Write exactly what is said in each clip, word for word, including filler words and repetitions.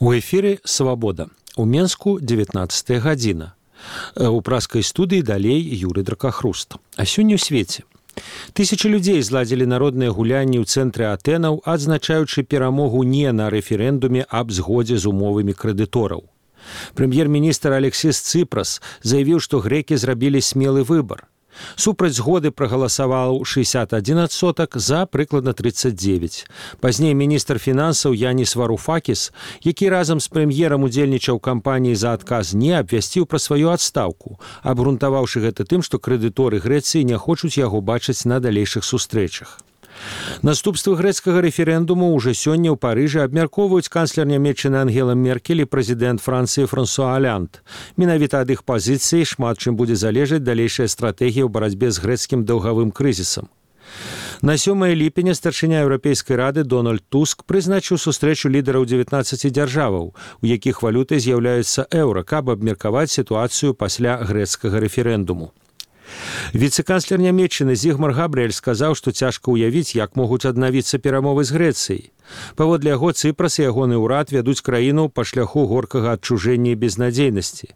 У эфіры «Свабода». У Менску дзевятнаццатая гадзіна. У праскай студыі далей Юрый Дракахруст. А сёння ў свеце. Тысячы людзей зладзілі народныя гулянні ў цэнтры Атэнаў, адзначаючы перамогу не на рэферэндуме аб згодзе з умовамі крэдытораў. Прэм'ер-міністр Алексіс Цыпрас заявіў, што грэкі зрабілі смелы выбар. Супраць згоды прагаласаваў шэсцьдзесят адзін адсотак, за прыкладна тридцать девять. Пазней міністр фінансаў Янис Варуфакіс, які разам з прэм'ерам удзельнічаў кампаніі за адказ не, абвясціў пра сваю адстаўку, абгрунтаваўшы гэта тым, што крэдыторы Грэцыі не хочуць яго бачыць на далейшых сустрэчах. Наступствы грэцкага рэферэндуму ўжо сёння ў Парыжы абмяркоўваюць канцлер нямецчыны Ангела Меркель і прэзідэнт Францыі Франсуа Олянд. Менавіта ад іх пазіцыі шмат чым будзе залежаць далейшая стратэгія ў барацьбе з грэцкім даўгавым крызісам. На сёмае ліпеня старшыня Еўрапейскай рады Дональд Туск прызначыў сустрэчу лідараў дзевятнаццаці дзяржаваў, у якіх валютай з'яўляецца еўра, каб абмеркаваць сітуацыю пасля грэцкага рэферэндуму. Віцэ-канцлер нямецчыны Зігмар Габрыэль сказаў, што цяжка ўявіць, як могуць аднавіцца перамовы з Грэцыяй. Паводле яго, Цыпрас і ягоны ўрад вядуць краіну па шляху горкага адчужэння і безнадзейнасці.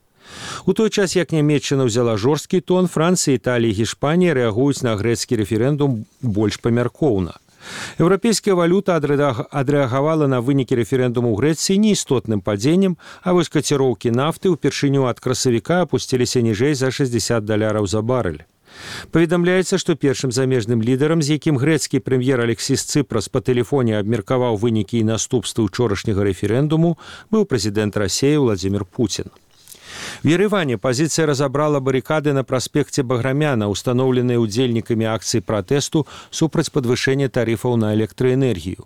У той час, як нямецчына ўзяла жорсткі тон, Францыя, Італія і Гішпанія рэагуюць на грэцкі рэферэндум больш памяркоўна. Еўрапейская валюта адрэагавала на вынікі рэферэндуму ў Грэцыі неістотным падзеннем, а вось каціроўкі нафты ўпершыню ад красавіка апусціліся ніжэй за шэсцьдзесят даляраў за барэль. Паведамляецца, што першым замежным лідарам, з якім грэцкі прэм'ер Алексіс Цыпрас па тэлефоне абмеркаваў вынікі і наступствы ўчорашняга рэферэндуму, быў прэзідэнт Расіі Владзімір Пуцін. В Ереване пазіцыя разабрала барыкады на праспекце Баграмяна, устаноўленыя удзельнікамі акцыі пратэсту супраць падвышэння тарыфаў на электраэнергію.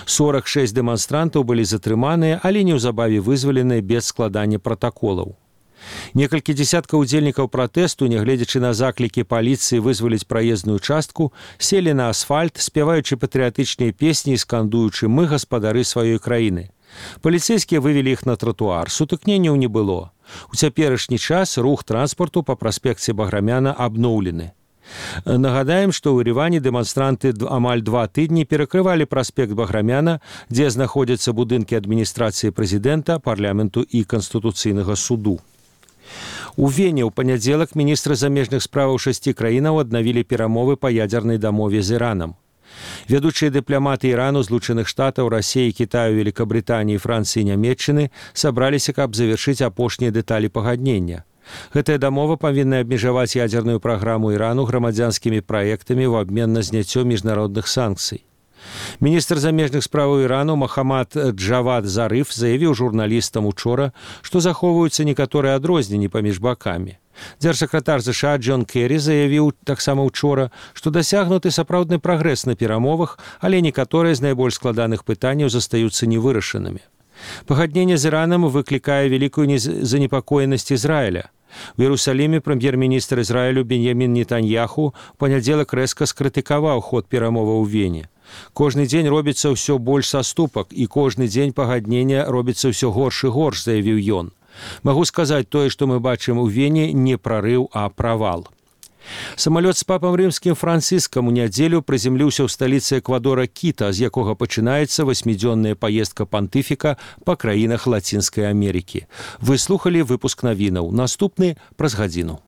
сорок шэсць дэманстрантаў былі затрыманыя, але неўзабаве вызваленыя без складання пратаколаў. Некалькі дзесяткаў удзельнікаў пратэсту, нягледзячы на заклікі паліцыі вызваліць праезную частку, селі на асфальт, спяваючы патрыятычныя песні і скандуючы «Мы гаспадары сваёй краіны». Паліцэйскія вывелі іх на тратуар, сутыкненняў не было. У цяперашні час рух транспарту па праспекце Баграмяна абноўлены. Нагадаем, што ў Ереване дэманстранты амаль два тыдні перакрывалі праспект Баграмяна, дзе знаходзяцца будынкі адміністрацыі прэзідэнта, парламенту і канстытуцыйнага суду. У Вене ў панядзелак міністры замежных справаў шасці краінаў аднавілі перамовы па ядзернай дамове з Іранам. Вядучыя дыпламаты Ірану, Злучаных Штатаў, Расіі, Кітаю, Великабрытаніі, Францыі і Нямецчыны сабраліся, каб завяршыць апошнія дэталі пагаднення. Гэтая дамова павінна абмежаваць ядзерную праграму Ірану грамадзянскімі праектамі ў абмен на зняццё міжнародных санкцый. Міністр замежных справаў Ірану Махамад Джавад Зарыф заявіў журналістам учора, што захоўваюцца некаторыя адрозненні паміж бакамі. Дзяржсакратар ЗША Джон Керрі заявіў таксама ўчора, што дасягнуты сапраўдны прагрэс на перамовах, але некаторыя з найбольш складаных пытанняў застаюцца невырашанымі. Пагадненне з Іранам выклікае вялікую занепакоенасць Ізраіля. У Іерусаліме прэм'ер-міністр Ізраілю Беньямін Нетаньяху ў панядзелак рэзка скрытыкаваў ход перамоваў у Вене. Кожны дзень робіцца ўсё больш саступак, і кожны дзень пагаднення робіцца ўсё горш і горш, заявіў ён. Магу сказаць, тое, што мы бачым у Вене, не прарыў, а правал. Самалёт з папам рымскім Францыскам у нядзелю прыземліўся ў сталіцы Эквадора Кіта, з якога пачынаецца васьмідзённая паездка пантыфіка па краінах Лацінскай Амерыкі. Вы слухалі выпуск навінаў. Наступны праз гадзіну.